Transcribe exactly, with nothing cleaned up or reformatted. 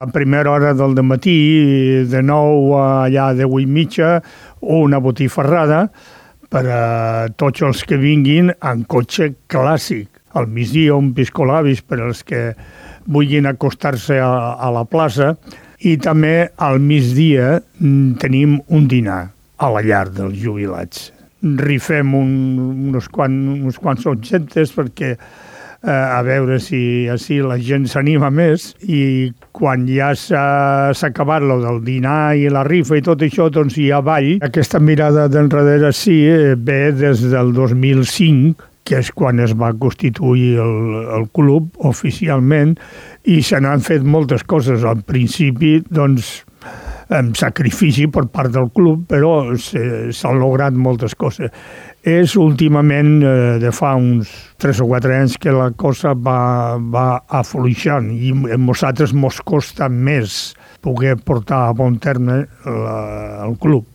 A primera hora del dematí, de nou a allà de deu i mitja, una botifarrada per a tots els que vinguin en cotxe clàssic. Al migdia un piscolabis per als que vulguin acostar-se a, a la plaça i també al migdia tenim un dinar a la llar dels jubilats. Rifem un, uns, quant, uns quants objectes perquè eh, a veure si així la gent s'anima més i quan ja s'ha acabat lo del dinar i la rifa i tot això, doncs hi ha ball. Aquesta mirada d'enrere sí ve des del dos mil cinc, que és quan es va constituir el, el club oficialment, i se n'han fet moltes coses. Al principi, doncs, amb sacrifici per part del club, però s'han lograt moltes coses. És últimament, eh, de fa uns tres o quatre anys, que la cosa va, va afluixant i a nosaltres mos costa més poder portar a bon terme la, el club.